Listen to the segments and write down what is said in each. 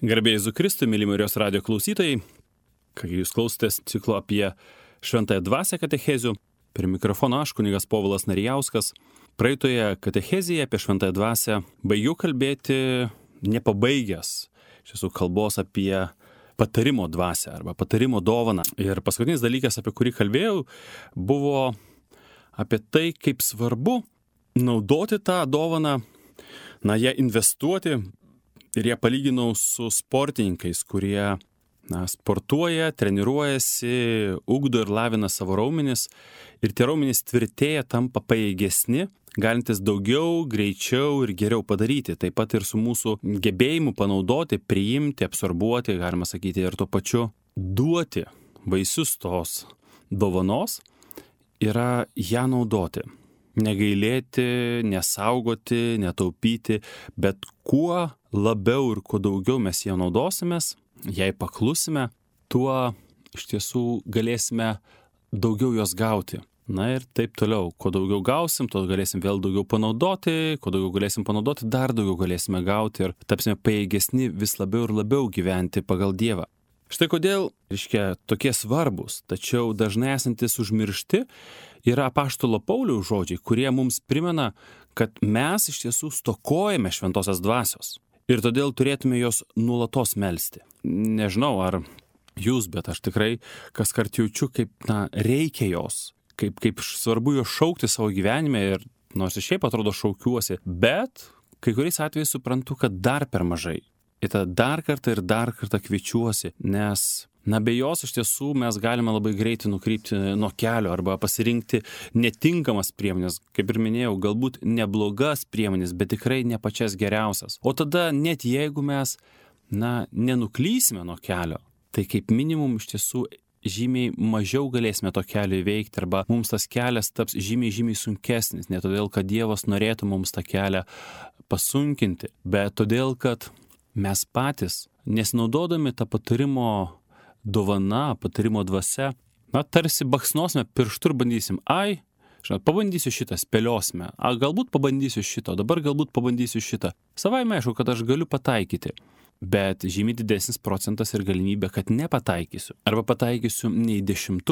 Garbėjai Jėzui Kristui, mėly Marijos radijo klausytojai, kai jūs klausotės ciklo apie Šventąją Dvasią katechezių, prie mikrofono aš, kunigas Povilas Narijauskas. Praeitoje katechezėje apie Šventąją Dvasią baigiau kalbėti nepabaigęs iš tiesų kalbos apie patarimo dvasią arba patarimo dovaną. Ir paskutinis dalykas, apie kurį kalbėjau, buvo apie tai, kaip svarbu naudoti tą dovaną, ją investuoti. Ir ją palyginau su sportininkais, kurie sportuoja, treniruojasi, ugdo ir lavina savo raumenis. Ir tie raumenys tvirtėja, tampa pajėgesni, galintis daugiau, greičiau ir geriau padaryti. Taip pat ir su mūsų gebėjimu panaudoti, priimti, absorbuoti, galima sakyti, ir tuo pačiu duoti vaisius tos dovanos yra ją naudoti. Negailėti, nesaugoti, netaupyti, bet kuo labiau ir kuo daugiau mes ją naudosimės, jei paklusime, tuo iš tiesų galėsime daugiau jos gauti. Na ir taip toliau, kuo daugiau gausim, tuo galėsim vėl daugiau panaudoti, kuo daugiau galėsim panaudoti, dar daugiau galėsime gauti ir tapsime pajėgesni vis labiau ir labiau gyventi pagal Dievą. Štai kodėl, tokie svarbus, tačiau dažnai esantis užmiršti yra apaštalo Pauliaus žodžiai, kurie mums primena, kad mes iš tiesų stokojame šventosios dvasios ir todėl turėtume jos nuolatos melsti. Nežinau, ar jūs, bet aš tikrai kaskart jaučiu, kaip reikia jos, kaip svarbu jos šaukti savo gyvenime ir nors ir šiaip atrodo šaukiuosi, bet kai kuriais atvejais suprantu, kad dar per mažai. Ir tada dar kartą kviečiuosi, nes be jos iš tiesų mes galime labai greitai nukrypti nuo kelio arba pasirinkti netinkamas priemonės, kaip ir minėjau, galbūt neblogas priemonės, bet tikrai ne pačias geriausias. O tada net jeigu mes nenuklysime nuo kelio, tai kaip minimum iš tiesų žymiai mažiau galėsime to kelio įveikti arba mums tas kelias taps žymiai sunkesnis, ne todėl, kad Dievas norėtų mums tą kelią pasunkinti, bet todėl, kad mes patys, nesinaudodami tą patarimo dovana, patarimo dvasia, tarsi baksnosime pirštu ir bandysim, pabandysiu šitą, spėliosime, galbūt pabandysiu šito, dabar galbūt pabandysiu šitą. Savaime aišku, kad aš galiu pataikyti, bet žymiai didesnis procentas ir galimybė, kad nepataikysiu. Arba pataikysiu ne į 10,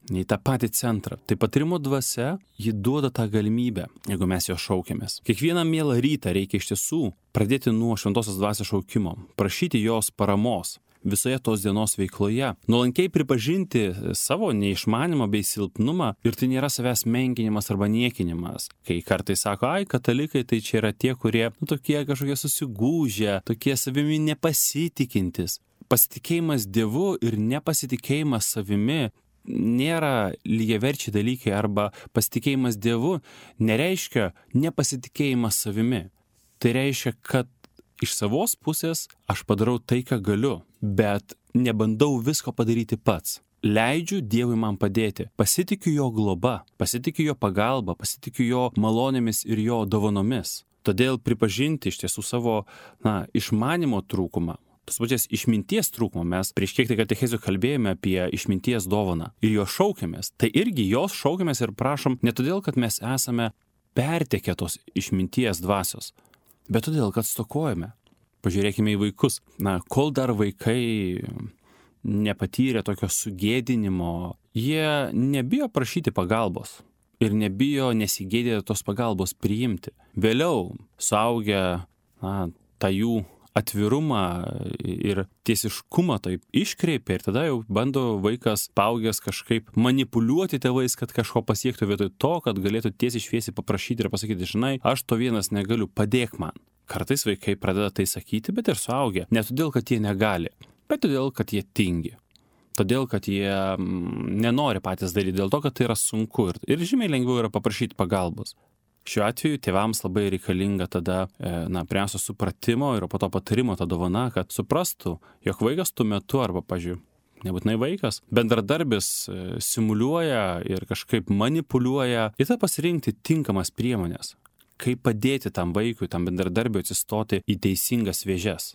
ne į tą patį centrą. Tai patarimo dvasia, ji duoda tą galimybę, jeigu mes jo šaukiamės. Kiekvieną mielą rytą reikia iš tiesų pradėti nuo šventosios dvasios šaukimo, prašyti jos paramos visoje tos dienos veikloje, nuolankiai pripažinti savo neišmanimą bei silpnumą ir tai nėra savęs menkinimas arba niekinimas. Kai kartais sako, katalikai tai čia yra tie, kurie tokie kažkokie susigūžę, tokie savimi nepasitikintis. Pasitikėjimas Dievu ir nepasitikėjimas savimi nėra lygiaverčiai dalykai arba pasitikėjimas Dievu nereiškia nepasitikėjimas savimi. Tai reiškia, kad iš savos pusės aš padarau tai, ką galiu, bet nebandau visko padaryti pats. Leidžiu Dievui man padėti. Pasitikiu jo globa, pasitikiu jo pagalba, pasitikiu jo malonėmis ir jo dovanomis. Todėl pripažinti iš tiesų savo išmanimo trūkumą, tos pačias išminties trūkumą, mes prieš kiek tai katechezių kalbėjome apie išminties dovaną ir jo šaukiamės. Tai irgi jos šaukiamės ir prašom ne todėl, kad mes esame pertekę tos išminties dvasios, bet todėl, kad stokojame. Pažiūrėkime į vaikus. Kol dar vaikai nepatyrė tokio sugėdinimo, jie nebijo prašyti pagalbos ir nebijo nesigėdėti tos pagalbos priimti. Vėliau suaugę tą jų atvirumą ir tiesiškumą taip iškreipia ir tada jau bando vaikas paaugęs kažkaip manipuliuoti tėvais, kad kažko pasiektų vietoj to, kad galėtų tiesiai šviesiai paprašyti ir pasakyti, žinai, aš to vienas negaliu, padėk man. Kartais vaikai pradeda tai sakyti, bet ir suaugę. Ne todėl, kad jie negali, bet todėl, kad jie tingi. Todėl, kad jie nenori patys daryti, dėl to, kad tai yra sunku ir žymiai lengviau yra paprašyti pagalbos. Šiuo atveju tėvams labai reikalinga tada, pirmiausia, supratimo ir po to patarimo ta dovana, kad suprastų, jog vaikas tuo metu arba, nebūtinai vaikas, bendradarbis simuliuoja ir kažkaip manipuliuoja ir tada pasirinkti tinkamas priemonės, kaip padėti tam vaikui, tam bendradarbiui atsistoti į teisingas vėžes.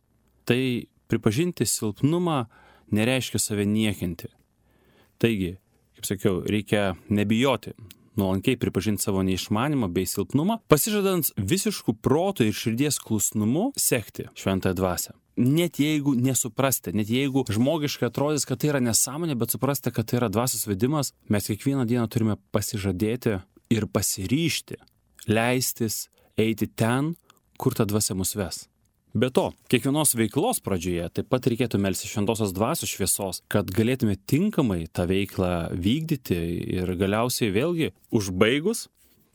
Tai pripažinti silpnumą nereiškia save niekinti. Taigi, kaip sakiau, reikia nebijoti, nuolankiai pripažinti savo neišmanimą bei silpnumą, pasižadant visiškų proto ir širdies klusnumu sekti šventąją dvasią. net jeigu nesuprasti, net jeigu žmogiškai atrodys, kad tai yra nesąmonė, bet suprasti, kad tai yra dvasios vedimas, mes kiekvieną dieną turime pasižadėti ir pasiryžti, leistis eiti ten, kur ta dvasia mus ves. Be to, kiekvienos veiklos pradžioje taip pat reikėtų melstis šventosios dvasios šviesos, kad galėtume tinkamai tą veiklą vykdyti ir galiausiai vėlgi užbaigus,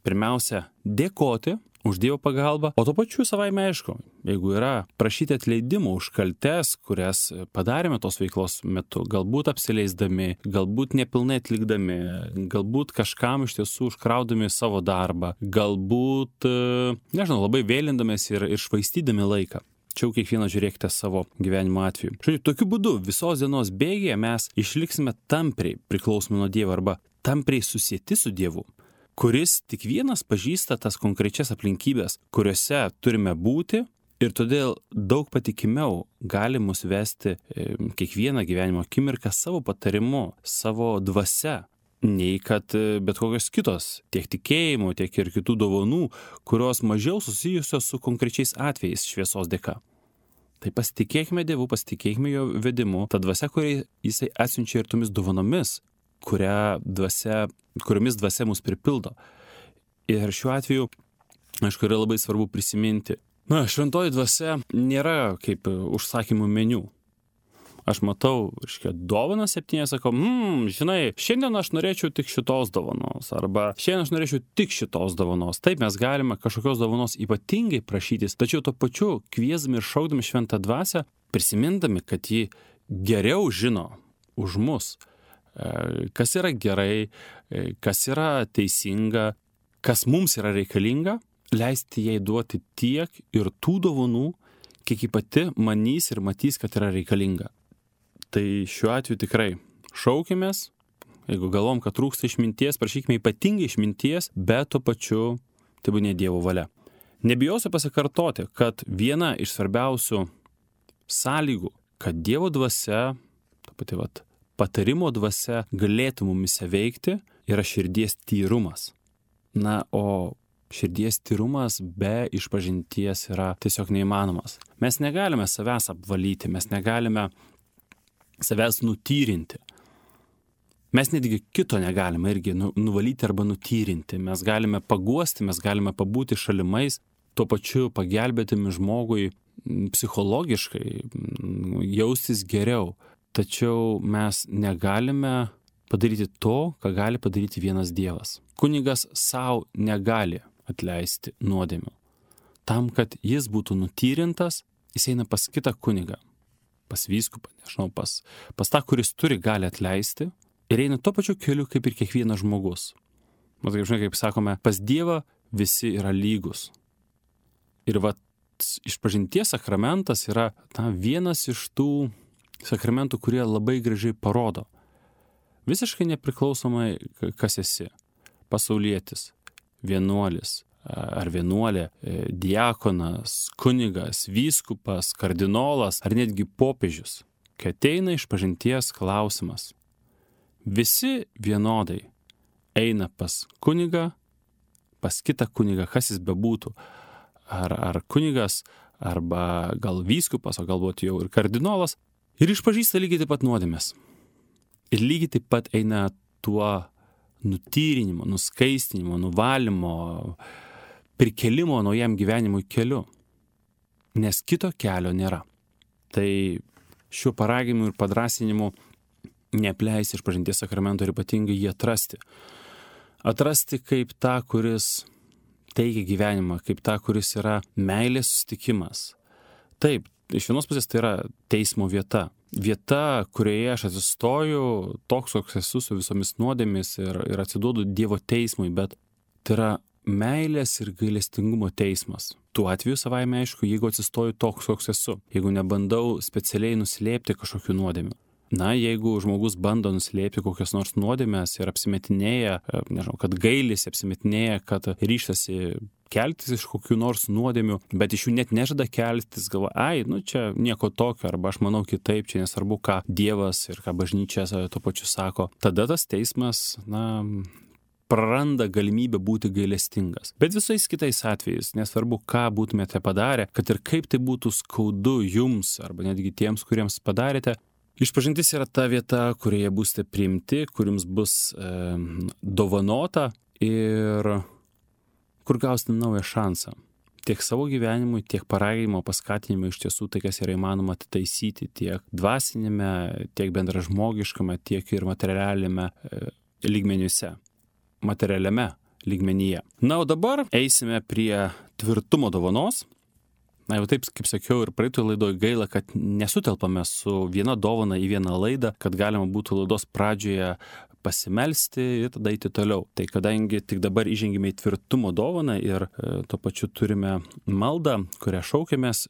pirmiausia, dėkoti už Dievo pagalbą, o to pačiu savaime aišku, jeigu yra prašyti atleidimo už kaltes, kurias padarėme tos veiklos metu, galbūt apsileisdami, galbūt nepilnai atlikdami, galbūt kažkam iš tiesų užkraudami savo darbą, galbūt, nežinau, labai vėlindamės ir švaistydami laiką. Čia jau kiekvieną žiūrėkite savo gyvenimo atveju. Žodžiu, tokiu būdu visos dienos bėgyje mes išliksime tampriai priklausomi nuo Dievo arba tampriai susieti su Dievu, kuris tik vienas pažįsta tas konkrečias aplinkybės, kuriuose turime būti ir todėl daug patikimiau gali mus vesti kiekvieną gyvenimo akimirką savo patarimu, savo dvasia, nei kad bet kokios kitos, tiek tikėjimų, tiek ir kitų dovanų, kurios mažiau susijusios su konkrečiais atvejais šviesos dėka. Tai pasitikėkime Dievu, pasitikėkime jo vedimu, ta dvasia, kurį jisai atsiunčia ir tomis dovanomis, kuriomis dvasia mus pripildo. Ir šiuo atveju, aišku, yra labai svarbu prisiminti. Šventoji dvasia nėra kaip užsakymų meniu. Aš matau, dovaną 7, sakau, žinai, šiandien aš norėčiau tik šitos dovanos, arba šiandien aš norėčiau tik šitos dovanos. Taip, mes galime kažkokios dovanos ypatingai prašytis, tačiau to pačiu kviesdami ir šaukdami šventą dvasią, prisimindami, kad ji geriau žino už mus, kas yra gerai, kas yra teisinga, kas mums yra reikalinga, leisti jai duoti tiek ir tų dovanų, kiek ji pati manys ir matys, kad yra reikalinga. Tai šiuo atveju tikrai šaukimės, jeigu galvom, kad trūksta išminties, prašykime ypatingai išminties, bet tuo pačiu tai būtų ne Dievo valia. Nebijosiu pasikartoti, kad viena iš svarbiausių sąlygų, kad Dievo dvasia, ta pati patarimo dvasia galėtų mumise veikti, yra širdies tyrumas. O širdies tyrumas be išpažinties yra tiesiog neįmanomas. Mes negalime savęs apvalyti, mes negalime savęs nutyrinti. Mes netgi kito negalime irgi nuvalyti arba nutyrinti. Mes galime paguosti, mes galime pabūti šalimais, tuo pačiu pagelbėtimi žmogui psichologiškai jaustis geriau. Tačiau mes negalime padaryti to, ką gali padaryti vienas Dievas. Kunigas savo negali atleisti nuodėmių. Tam, kad jis būtų nutyrintas, jis eina pas kitą kunigą, pas vyskupą, nežinau, pas tą, kuris turi gali atleisti ir eina tuo pačiu keliu kaip ir kiekvienas žmogus. Matai, žinai, kaip sakome, pas Dievą visi yra lygus. Ir išpažinties sakramentas yra vienas iš tų sakramentų, kurie labai gražiai parodo. Visiškai nepriklausomai, kas esi. Pasaulietis, vienuolis ar vienuolė, diakonas, kunigas, vyskupas, kardinolas ar netgi popiežius. Kai ateina išpažinties klausimas, visi vienodai eina pas kunigą, pas kitą kunigą, kas jis bebūtų. Ar kunigas, arba gal vyskupas, o galbūt jau ir kardinolas. Ir išpažįsta lygiai taip pat nuodėmes. Ir lygiai taip pat eina tuo nutyrinimo, nuskaistinimo, nuvalymo, prikelimo naujam gyvenimui keliu. Nes kito kelio nėra. Tai šiuo paraginimu ir padrąsinimu neapleisti išpažinties sakramento ir ypatingai jį atrasti. Atrasti kaip tą, kuris teikia gyvenimą, kaip tą, kuris yra meilės susitikimas. Taip, iš vienos pusės tai yra teismo vieta. Vieta, kurioje aš atsistoju, toks, koks esu su visomis nuodėmis ir atsiduodu Dievo teismui, bet tai yra meilės ir gailestingumo teismas. Tuo atveju savaime aišku, jeigu atsistoju toks, koks esu, jeigu nebandau specialiai nuslėpti kažkokių nuodėmių. Jeigu žmogus bando nuslėpti kokias nors nuodėmes ir apsimetinėja, nežinau, kad gailisi, apsimetinėja, kad ryžtasi keltis iš kokių nors nuodėmių, bet iš jų net nežada keltis, galvoja, čia nieko tokio, arba aš manau kitaip, čia nesvarbu, ką Dievas ir ką bažnyčia tuo pačiu sako. Tada tas teismas, praranda galimybę būti gailestingas. Bet visais kitais atvejais, nesvarbu, ką būtumėte padarę, kad ir kaip tai būtų skaudu jums arba netgi tiems, kuriems padarėte, išpažintis yra ta vieta, kurioje būsite priimti, kur jums bus dovanota ir kur gausite naują šansą. Tiek savo gyvenimui, tiek paraginimo, paskatinimo iš tiesų tai, kas yra įmanoma atitaisyti tiek dvasinėme, tiek bendražmogiškame, tiek ir materialiame lygmenyse. Materialiame lygmenyje. Na, o dabar eisime prie tvirtumo dovanos. Na, jau taip, kaip sakiau, ir praeitoje laidoje gaila, kad nesutelpame su viena dovana į vieną laidą, kad galima būtų laidos pradžioje pasimelsti ir tada eiti toliau. Tai kadangi tik dabar įžengime į tvirtumo dovaną ir tuo pačiu turime maldą, kurią šaukiamės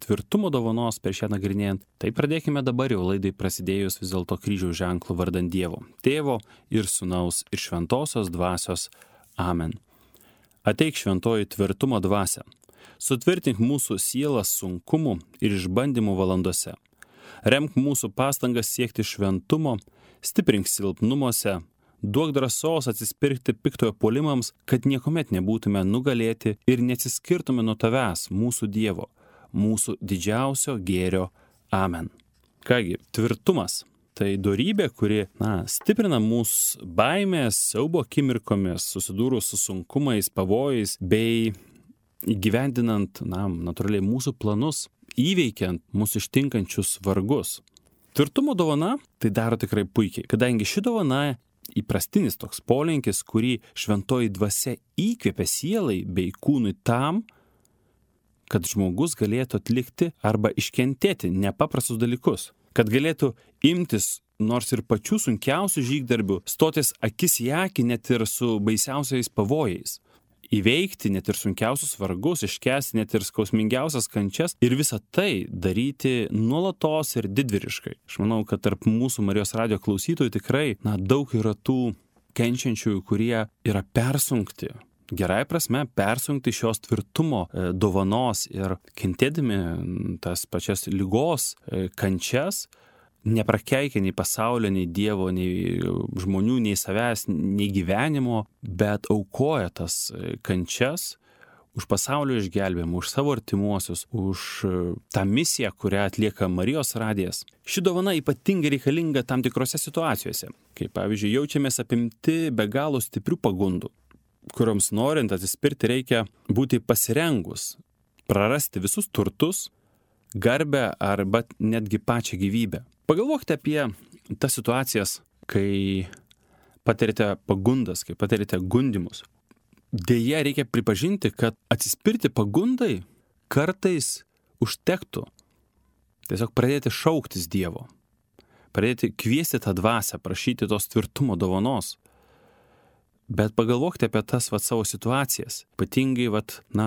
tvirtumo dovanos prieš ją nagrinėjant, tai pradėkime dabar jau laidai prasidėjus vis dėlto kryžiaus ženklų vardan Dievo, Tėvo ir Sūnaus ir Šventosios Dvasios. Amen. Ateik šventoji tvirtumo dvasia, sutvirtink mūsų sielas sunkumų ir išbandymų valandose. Remk mūsų pastangas siekti šventumo, stiprink silpnumuose, duok drąsos atsispirkti piktojo puolimams, kad niekuomet nebūtume nugalėti ir neatsiskirtume nuo tavęs, mūsų Dievo, mūsų didžiausio gėrio. Amen. Kągi, tvirtumas – tai dorybė, kuri, stiprina mūsų baimės, siaubo akimirkomis, susidūrus su sunkumais, pavojais, bei įgyvendinant, natūraliai mūsų planus, įveikiant mūsų ištinkančius vargus. Tvirtumo dovana tai daro tikrai puikiai, kadangi ši dovana įprastinis toks polinkis, kurį šventoji dvasia įkvėpia sielai bei kūnui tam, kad žmogus galėtų atlikti arba iškentėti nepaprastus dalykus, kad galėtų imtis nors ir pačių sunkiausių žygdarbių, stotis akis į akį net ir su baisiausiais pavojais. Įveikti net ir sunkiausius vargus, iškęsti net ir skausmingiausias kančias ir visą tai daryti nuolatos ir didvyriškai. Aš manau, kad tarp mūsų Marijos radijo klausytojų tikrai daug yra tų kenčiančiųjų, kurie yra persunkti, gerai prasme persunkti šios tvirtumo dovanos ir kentėdami tas pačias ligos kančias, neprakeikia nei pasaulio, nei Dievo, nei žmonių, nei savęs, nei gyvenimo, bet aukoja tas kančias už pasaulio išgelbėjimą, už savo artimuosius, už tą misiją, kurią atlieka Marijos radijas. Ši dovana ypatingai reikalinga tam tikrose situacijose, kai pavyzdžiui jaučiamės apimti be galo stiprių pagundų, kurioms norint atsispirti reikia būti pasirengus, prarasti visus turtus, garbę arba netgi pačią gyvybę. Pagalvokite apie tas situacijas, kai patirite pagundas, kai patirite gundymus. Deja, reikia pripažinti, kad atsispirti pagundai kartais užtektų. Tiesiog pradėti šauktis Dievo, pradėti kviesti tą dvasią, prašyti tos tvirtumo dovanos. Bet pagalvokite apie tas savo situacijas, ypatingai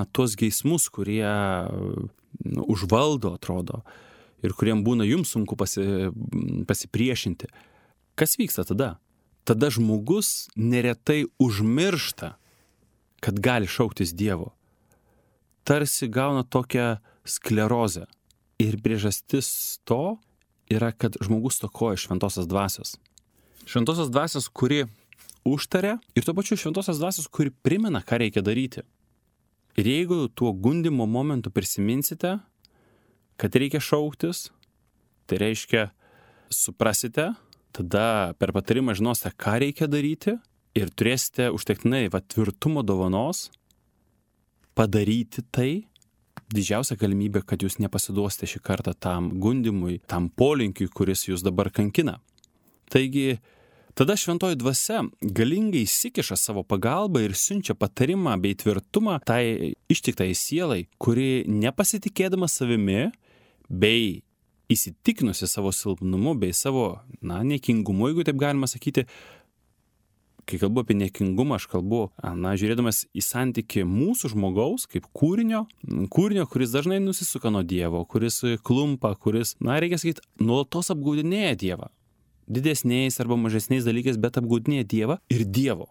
tuos geismus, kurie užvaldo, atrodo, ir kuriem būna jums sunku pasipriešinti. Kas vyksta tada? Tada žmogus neretai užmiršta, kad gali šauktis Dievo. Tarsi gauna tokią sklerozę. Ir priežastis to yra, kad žmogus stokoja šventosios dvasios. Šventosios dvasios, kuri užtaria ir tuo pačiu šventosios dvasios, kuri primena, ką reikia daryti. Ir jeigu tuo gundymo momentu prisiminsite, kad reikia šauktis, tai reiškia suprasite, tada per patarimą žinosite, ką reikia daryti ir turėsite užtektinai tvirtumo dovanos padaryti tai. Didžiausia galimybė, kad jūs nepasiduosite šį kartą tam gundymui, tam polinkiui, kuris jūs dabar kankina. Taigi, tada šventoji dvasia galingai įsikiša savo pagalbą ir siunčia patarimą bei tvirtumą tai ištiktai sielai, kuri nepasitikėdama savimi, bei įsitikinusi savo silpnumu bei savo, niekingumu, jeigu taip galima sakyti. Kai kalbu apie niekingumą, aš kalbu, žiūrėdamas į santykį mūsų žmogaus kaip kūrinio, kuris dažnai nusisuka nuo Dievo, kuris klumpa, kuris, reikia sakyti, nuolatos apgaudinėja Dievą. Didesniais arba mažesniais dalykais, bet apgaudinėja Dievą ir Dievo,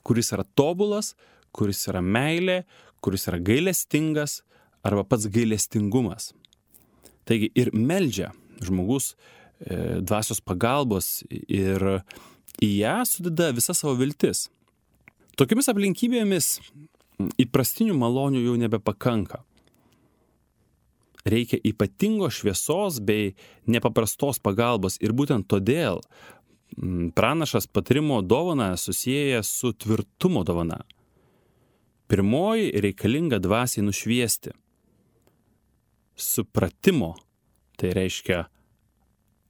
kuris yra tobulas, kuris yra meilė, kuris yra gailestingas arba pats gailestingumas. Taigi ir meldžia žmogus dvasios pagalbos ir į ją sudeda visa savo viltis. Tokiamis aplinkybėmis įprastinių malonių jau nebepakanka. Reikia ypatingos šviesos bei nepaprastos pagalbos ir būtent todėl pranašas patarimo dovaną susieja su tvirtumo dovana. Pirmoji reikalinga dvasiai nušviesti. Supratimo, tai reiškia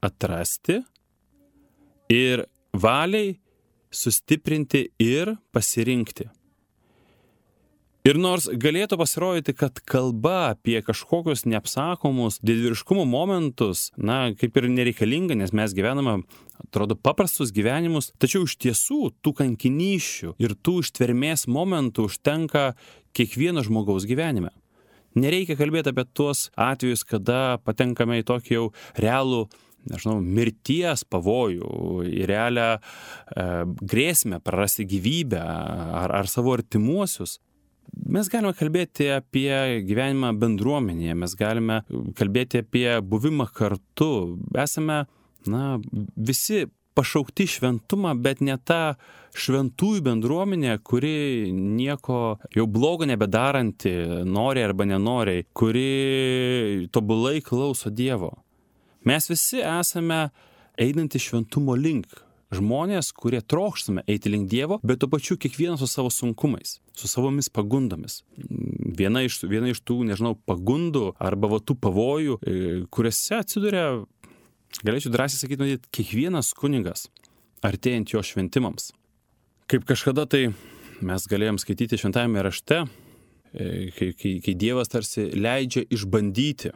atrasti ir valiai sustiprinti ir pasirinkti. Ir nors galėtų pasirodyti, kad kalba apie kažkokius neapsakomus didvyriškumo momentus, kaip ir nereikalinga, nes mes gyvename, atrodo, paprastus gyvenimus, tačiau iš tiesų tų kankinysčių ir tų ištvermės momentų užtenka kiekvieno žmogaus gyvenime. Nereikia kalbėti apie tuos atvejus, kada patenkame į tokį jau realų, mirties pavojų, į realią grėsmę prarasti gyvybę ar savo artimuosius. Mes galime kalbėti apie gyvenimą bendruomenėje, mes galime kalbėti apie buvimą kartu. Esame, visi pašaukti šventumą, bet ne ta šventųjų bendruomenė, kuri nieko jau blogo nebedaranti, nori arba nenori, kuri tobulai klauso Dievo. Mes visi esame einantys šventumo link. Žmonės, kurie trokštame eiti link Dievo, bet tuo pačiu kiekvienas su savo sunkumais, su savomis pagundomis. Viena iš tų, pagundų arba tų pavojų, kuriuose atsiduria, galėčiau drąsiai sakyti, kiekvienas kunigas, artėjant jo šventimams. Kaip kažkada tai mes galėjom skaityti šventajame rašte, kai Dievas tarsi leidžia išbandyti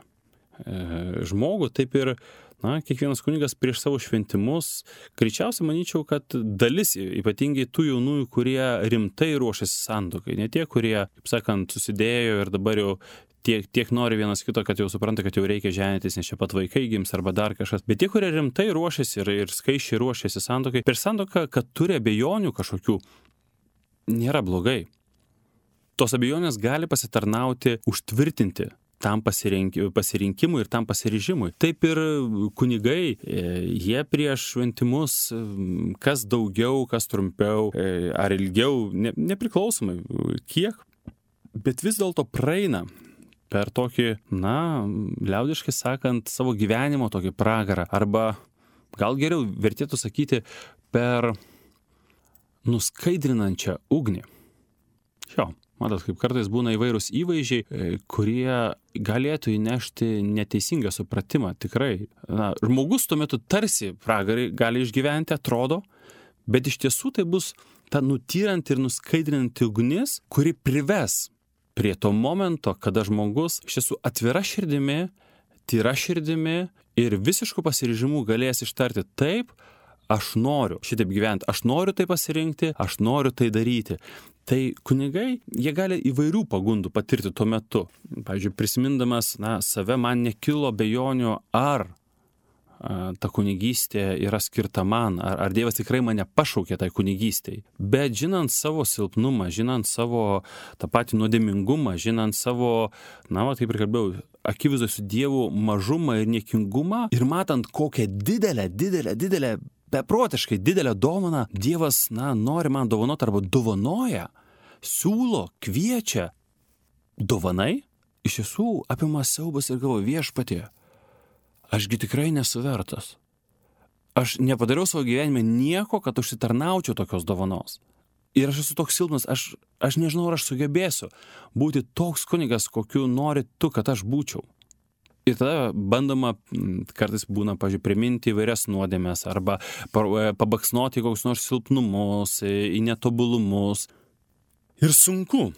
žmogų, taip ir kiekvienas kunigas prieš savo šventimus, greičiausiai manyčiau, kad dalis, ypatingai tų jaunųjų, kurie rimtai ruošiasi santuokai, ne tie, kurie, kaip sakant, susidėjo ir dabar jau tiek nori vienas kito, kad jau supranta, kad jau reikia ženytis, nes čia pat vaikai gims arba dar kažkas, bet tie, kurie rimtai ruošiasi ir skaisčiai ruošiasi santuokai, per santuoką, kad turi abejonių kažkokių, nėra blogai. Tos abejonės gali pasitarnauti, užtvirtinti tam pasirinkimui ir tam pasiryžimui. Taip ir kunigai, jie prieš šventimus, kas daugiau, kas trumpiau, ar ilgiau, nepriklausomai kiek, bet vis dėlto praeina per tokį, liaudiškai sakant, savo gyvenimo tokį pragarą, arba gal geriau vertėtų sakyti per nuskaidrinančią ugnį. Matot, kaip kartais būna įvairūs įvaizdžiai, kurie galėtų įnešti neteisingą supratimą, tikrai. Žmogus tuo metu tarsi pragarį gali išgyventi, atrodo, bet iš tiesų tai bus ta nutyranti ir nuskaidrinanti ugnis, kuri prives prie to momento, kada žmogus iš tiesų atvira širdimi, tyra širdimi ir visišku pasiryžimu galės ištarti taip, aš noriu šitaip gyventi, aš noriu tai pasirinkti, aš noriu tai daryti. Tai kunigai, jie gali įvairių pagundų patirti tuo metu. Pavyzdžiui, prisimindamas save, man nekilo abejonių, ar ta kunigystė yra skirta man, ar Dievas tikrai mane pašaukė tai kunigystei. Bet žinant savo silpnumą, žinant savo tą patį nuodėmingumą, žinant savo, kaip ir kalbėjau, akivaizdoj su Dievu mažumą ir niekingumą ir matant kokią didelę, beprotiškai didelę dovaną Dievas, nori man dovanoti arba dovanoja, siūlo, kviečia. Dovanai iš tiesų apima siaubas ir galvoju, Viešpatie, ašgi tikrai nesu vertas. Aš nepadariau savo gyvenime nieko, kad užsitarnaučiau tokios dovanos. Ir aš esu toks silpnas, aš nežinau, ar aš sugebėsiu būti toks kunigas, kokiu nori tu, kad aš būčiau. Ir tada bandoma, kartais būna, priminti įvairias nuodėmes arba pabaksnoti kokius nors silpnumus, į netobulumus. Ir sunku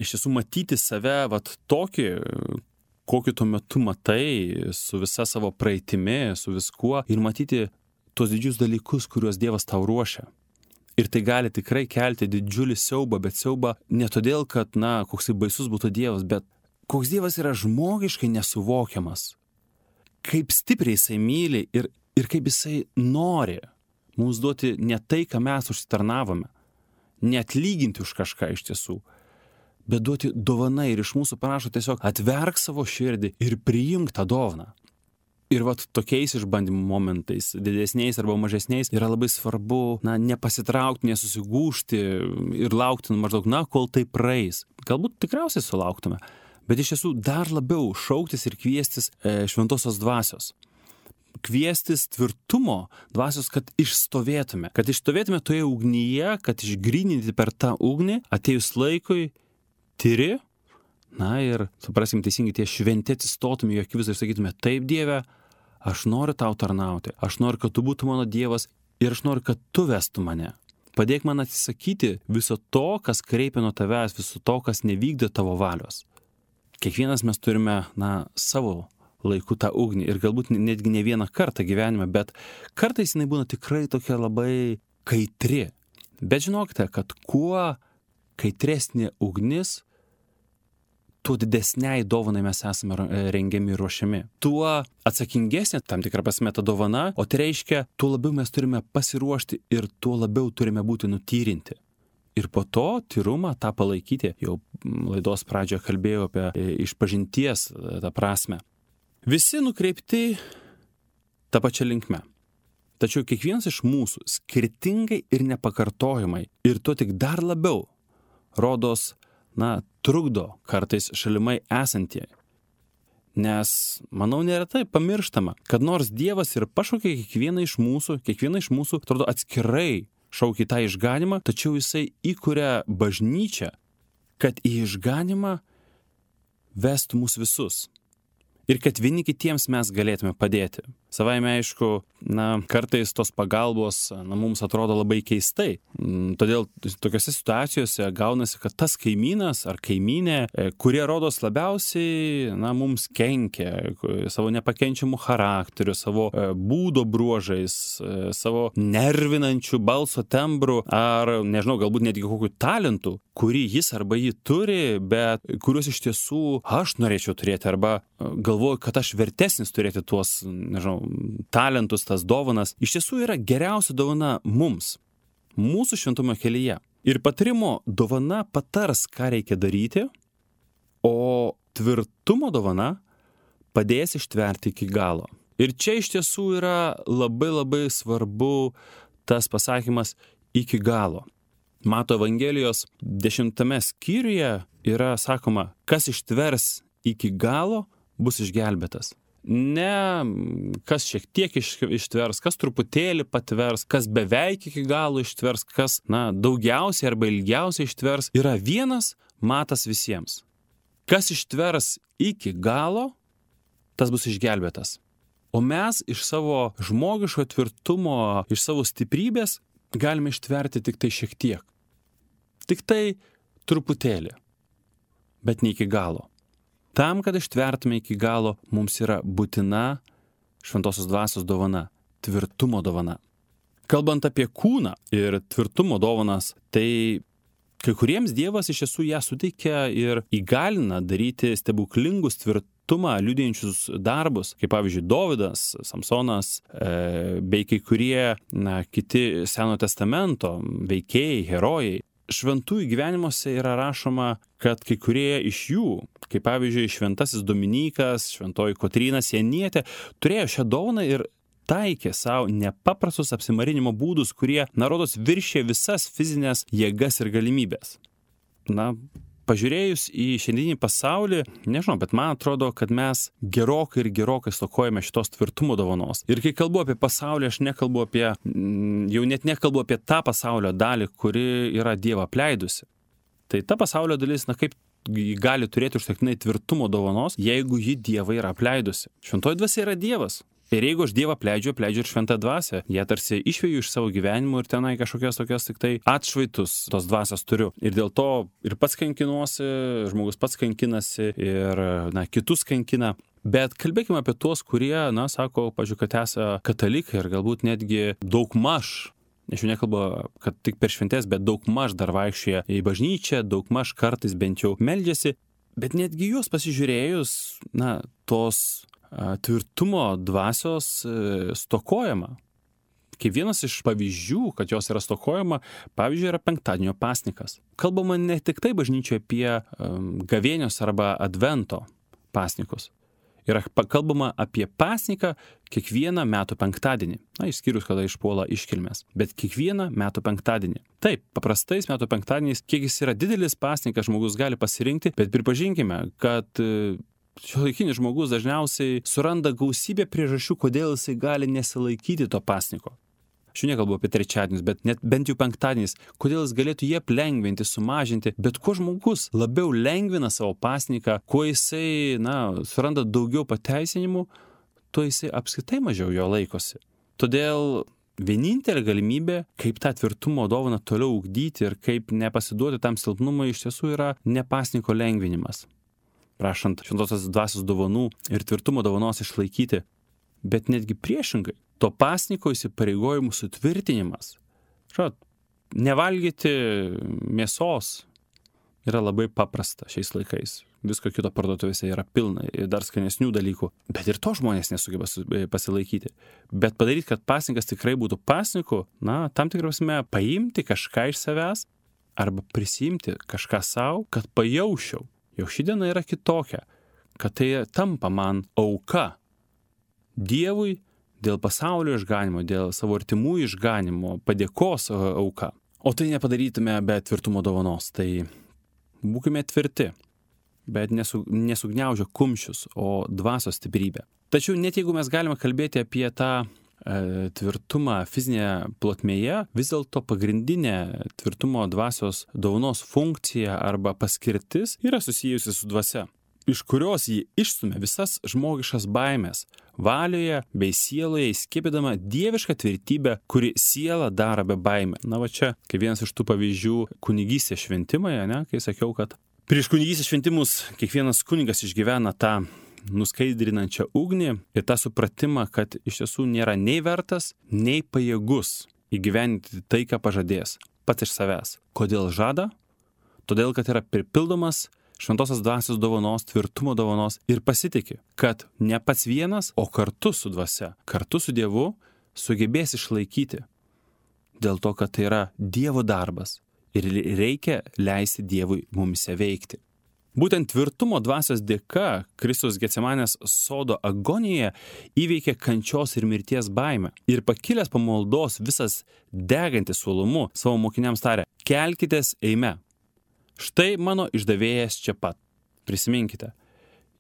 iš tiesų matyti save tokį, kokį tuo metu matai, su visa savo praeitimi, su viskuo, ir matyti tos didžius dalykus, kuriuos Dievas tau ruošia. Ir tai gali tikrai kelti didžiulį siaubą, bet siaubą ne todėl, kad, koksai baisus būtų Dievas, bet koks Dievas yra žmogiškai nesuvokiamas. Kaip stipriai jisai myli ir kaip jisai nori mums duoti ne tai, ką mes užsitarnavome, neatlyginti už kažką iš tiesų, bet duoti dovanai ir iš mūsų prašo tiesiog atverk savo širdį ir priimk tą dovaną. Ir vat tokiais išbandymų momentais, didesniais arba mažesniais, yra labai svarbu, nepasitraukti, nesusigūžti ir laukti maždaug, kol tai praeis. Galbūt tikriausiai sulauktume, bet iš tiesų dar labiau šauktis ir kviestis šventosios dvasios. Kviestis tvirtumo dvasios, kad išstovėtume toje ugnyje, kad išgryninti per tą ugnį, atėjus laikui, tyri, ir, suprasim teisingai, tie šventi atsistotume į akivaizdį ir sakytume, taip Dieve, aš noriu tau tarnauti, aš noriu, kad tu būtum mano Dievas ir aš noriu, kad tu vestum mane. Padėk man atsisakyti viso to, kas kreipia nuo tavęs, viso to, kas nevykdė tavo valios. Kiekvienas mes turime, savo laiku tą ugnį ir galbūt netgi ne vieną kartą gyvenime, bet kartais jinai būna tikrai tokia labai kaitri. Bet žinokite, kad kuo kaitresnė ugnis, tuo didesniai dovanai mes esame rengiami ir ruošiami. Tuo atsakingesnė tam tikra prasme ta dovana, o tai reiškia, tuo labiau mes turime pasiruošti ir tuo labiau turime būti nutyrinti. Ir po to tyrumą tą palaikyti. Jau laidos pradžioje kalbėjau apie išpažinties tą prasme. Visi nukreipti tą pačią linkmę. Tačiau kiekvienas iš mūsų skirtingai ir nepakartojamai ir tuo tik dar labiau rodos, trukdo kartais šalimai esantieji. Nes, manau, neretai pamirštama, kad nors Dievas ir pašaukė kiekvieną iš mūsų, atrodo, atskirai šaukia tą išganimą, tačiau jisai įkuria bažnyčią, kad į išganimą vestų mus visus. Ir kad vieni kitiems mes galėtume padėti. Savaime aišku, kartais tos pagalbos mums atrodo labai keistai. Todėl tokiose situacijose gaunasi, kad tas kaimynas ar kaimynė, kurie rodos labiausiai mums kenkia savo nepakenčiamų charakterių, savo būdo bruožais, savo nervinančių balso tembrų ar, nežinau, galbūt netgi kokių talentų, kurį jis arba jį turi, bet kuriuos iš tiesų aš norėčiau turėti arba galvoju, kad aš vertesnis turėti tuos, talentus, tas dovanas. Iš tiesų yra geriausia dovana mums, mūsų šventumo kelyje. Ir patarimo dovana patars, ką reikia daryti, o tvirtumo dovana padės ištverti iki galo. Ir čia iš tiesų yra labai labai svarbu tas pasakymas iki galo. Mato Evangelijos 10 skyriuje yra sakoma, kas ištvers iki galo, bus išgelbėtas. Ne kas šiek tiek ištvers, kas truputėlį patvers, kas beveik iki galo ištvers, kas daugiausiai arba ilgiausiai ištvers, yra vienas matas visiems. Kas ištvers iki galo, tas bus išgelbėtas. O mes iš savo žmogiško tvirtumo, iš savo stiprybės galime ištverti tik tai šiek tiek. Tik tai truputėlį, bet ne iki galo. Tam, kad ištvertume iki galo, mums yra būtina šventosios dvasios dovana, tvirtumo dovana. Kalbant apie kūną ir tvirtumo dovanas, tai kai kuriems Dievas iš tiesų ją suteikia ir įgalina daryti stebuklingus tvirtumą liudijančius darbus, kaip pavyzdžiui Dovydas, Samsonas, bei kai kurie kiti Senojo testamento veikėjai, herojai. Šventųjų gyvenimuose yra rašoma, kad kai kurie iš jų, kaip pavyzdžiui šventasis Dominykas, šventoji Kotryna Sienietė, turėjo šią dovaną ir taikė savo nepaprastus apsimarinimo būdus, kurie, rodos, viršė visas fizinės jėgas ir galimybės. Pažiūrėjus į šiandieninį pasaulį, nežinau, bet man atrodo, kad mes gerokai stokojame šitos tvirtumo dovanos. Ir kai kalbu apie pasaulį, aš nekalbu apie, jau net nekalbu apie tą pasaulio dalį, kuri yra Dievą apleidusi. Tai ta pasaulio dalis, kaip gali turėti užtektinai tvirtumo dovanos, jeigu ji Dievą yra apleidusi. Šventoji dvasia yra Dievas. Ir jeigu aš Dievą apleidžiu ir šventą dvasią, jie tarsi išveju iš savo gyvenimo ir tenai kažkokias tokias tik tai atšvaitus tos dvasios turiu. Ir dėl to ir pats kankinuosi, žmogus pats kankinasi ir, kitus kankina. Bet kalbėkime apie tuos, kurie, sako, pažiūrėjau, kad esą katalikai ir galbūt netgi daugmaž, aš jau nekalbu, kad tik per šventės, bet daugmaž dar vaikščioja į bažnyčią, daugmaž kartais bent jau meldžiasi. Bet netgi juos pasižiūrėjus, tos tvirtumo dvasios stokojama. Kaip vienas iš pavyzdžių, kad jos yra stokojama, pavyzdžiui, yra penktadienio pasnikas. Kalbama ne tik tai bažnyčioje apie gavėnios arba advento pasnikus. yra kalbama apie pasninką kiekvieną metų penktadienį. Išskyrus, kada išpuola iškilmės. Bet kiekvieną metų penktadienį. Taip, paprastais metų penktadieniais, kiek jis yra didelis pasninkas, žmogus gali pasirinkti, bet pripažinkime, kad šiuolaikinis žmogus dažniausiai suranda gausybę priežasčių, kodėl jisai gali nesilaikyti to pasniko. Aš jau nekalbu apie trečiadienius, bet net bent jau penktadieniais, kodėl jis galėtų jie lengvinti, sumažinti, bet kuo žmogus labiau lengvina savo pasniką, kuo jisai, suranda daugiau pateisinimų, tuo jisai apskritai mažiau jo laikosi. Todėl vienintelė galimybė, kaip tą tvirtumo dovaną toliau ugdyti ir kaip nepasiduoti tam silpnumui, iš tiesų yra ne pasniko lengvinimas. Prašant šventosios dvasios dovanų ir tvirtumo dovanos išlaikyti, bet netgi priešingai. To pasniko įsipareigojimų sutvirtinimas. Nevalgyti mėsos yra labai paprasta šiais laikais. Visko kito parduotuvėse yra pilna ir dar skanesnių dalykų. Bet ir to žmonės nesugeba pasilaikyti. Bet padaryti, kad pasnikas tikrai būtų pasniku, tam tikrosme paimti kažką iš savęs arba prisimti kažką savo, kad pajaučiau, jog ši diena yra kitokia, kad tai tampa man auka Dievui, dėl pasaulio išganimo, dėl savo artimų išganimo, padėkos auka. O tai nepadarytume be tvirtumo dovanos. Tai būkime tvirti, bet nesugniaužę kumščius, o dvasios stiprybę. Tačiau net jeigu mes galime kalbėti apie tą tvirtumą fizinėje plotmėje, vis dėlto pagrindinė tvirtumo dvasios dovanos funkcija arba paskirtis yra susijusi su dvasia, iš kurios jį išstumia visas žmogiškas baimės, valioje bei sieloje įskiepydama dievišką tvirtybę, kuri sielą daro be baimę. Čia, kaip vienas iš tų pavyzdžių kunigystės šventimai, kai sakiau, kad prieš kunigystės šventimus kiekvienas kunigas išgyvena tą nuskaidrinančią ugnį ir tą supratimą, kad iš tiesų nėra nei vertas, nei pajėgus įgyvendinti tai, ką pažadės pats iš savęs. Kodėl žada? Todėl, kad yra pripildomas šventosios dvasios dovanos, tvirtumo dovanos ir pasitiki, kad ne pats vienas, o kartu su dvasia, kartu su Dievu sugebės išlaikyti. Dėl to, kad tai yra Dievo darbas ir reikia leisti Dievui mumise veikti. Būtent tvirtumo dvasios dėka Kristus Getsemanės sodo agonijoje įveikė kančios ir mirties baimę ir pakilęs po maldos visas degantis uolumu savo mokiniams tarė: kelkitės, eime. Štai mano išdavėjas čia pat. Prisiminkite,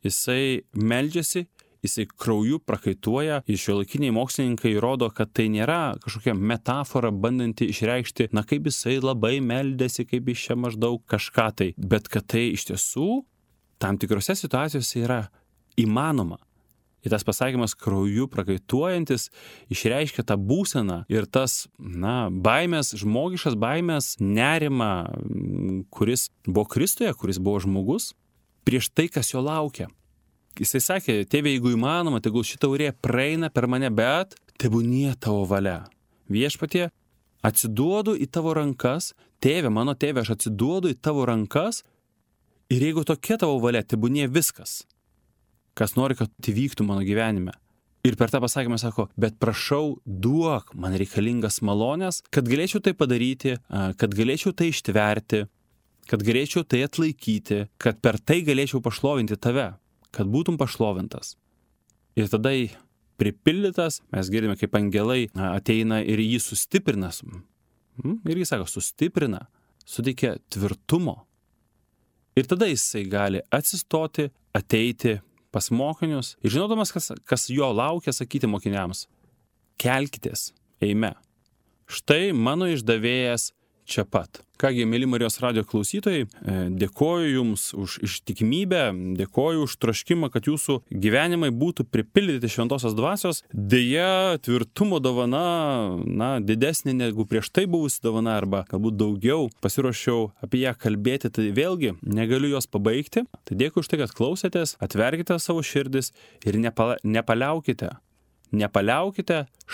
jisai meldžiasi, jisai krauju prakaituoja, ir šiuolaikiniai mokslininkai rodo, kad tai nėra kažkokia metafora bandanti išreikšti, kaip jisai labai meldėsi, kaip jis čia maždaug kažką tai, bet kad tai iš tiesų tam tikrose situacijose yra įmanoma. Ir tas pasakymas krauju prakaituojantis išreiškia tą būseną ir tas, baimės, žmogiškas baimės, nerimą, kuris buvo Kristuje, kuris buvo žmogus, prieš tai, kas jo laukia. Jisai sakė: tėve, jeigu įmanoma, tegul šita taurė praeina per mane, bet tebūnie tavo valia. Viešpatie, atsiduodu į tavo rankas, tėve, mano tėve, aš atsiduodu į tavo rankas ir jeigu tokia tavo valia, tebūnie viskas, kas nori, kad įvyktų mano gyvenime. Ir per tą pasakymą sako: bet prašau, duok man reikalingas malonės, kad galėčiau tai padaryti, kad galėčiau tai ištverti, kad galėčiau tai atlaikyti, kad per tai galėčiau pašlovinti tave, kad būtum pašlovintas. Ir tada pripildytas, mes girdime, kaip angelai ateina ir jį sustiprina. Ir jis sako, sustiprina, suteikia tvirtumo. Ir tada jisai gali atsistoti, ateiti pas mokinius ir žinodamas, kas jo laukia, sakyti mokiniams: kelkitės, eime. Štai mano išdavėjas čia pat. Kągi, mėly Marijos radijo klausytojai, dėkoju Jums už ištikimybę, dėkoju už troškimą, kad Jūsų gyvenimai būtų pripildyti šventosios dvasios. Deja, tvirtumo dovana, didesnė negu prieš tai buvusi dovana, arba galbūt daugiau. Pasiruošiau apie ją kalbėti, tai vėlgi negaliu jos pabaigti. Tai dėkui už tai, kad klausėtės, atverkite savo širdis ir nepaliaukite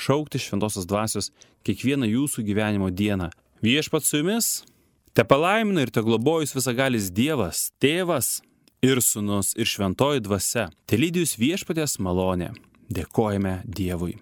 šaukti šventosios dvasios kiekvieną jūsų gyvenimo dieną. Viešpats su jumis, tepalaimina ir teglobojus visagalis Dievas, Tėvas ir Sūnus ir Šventoji Dvasia. Telydi jus viešpaties malonė. Dėkojame Dievui.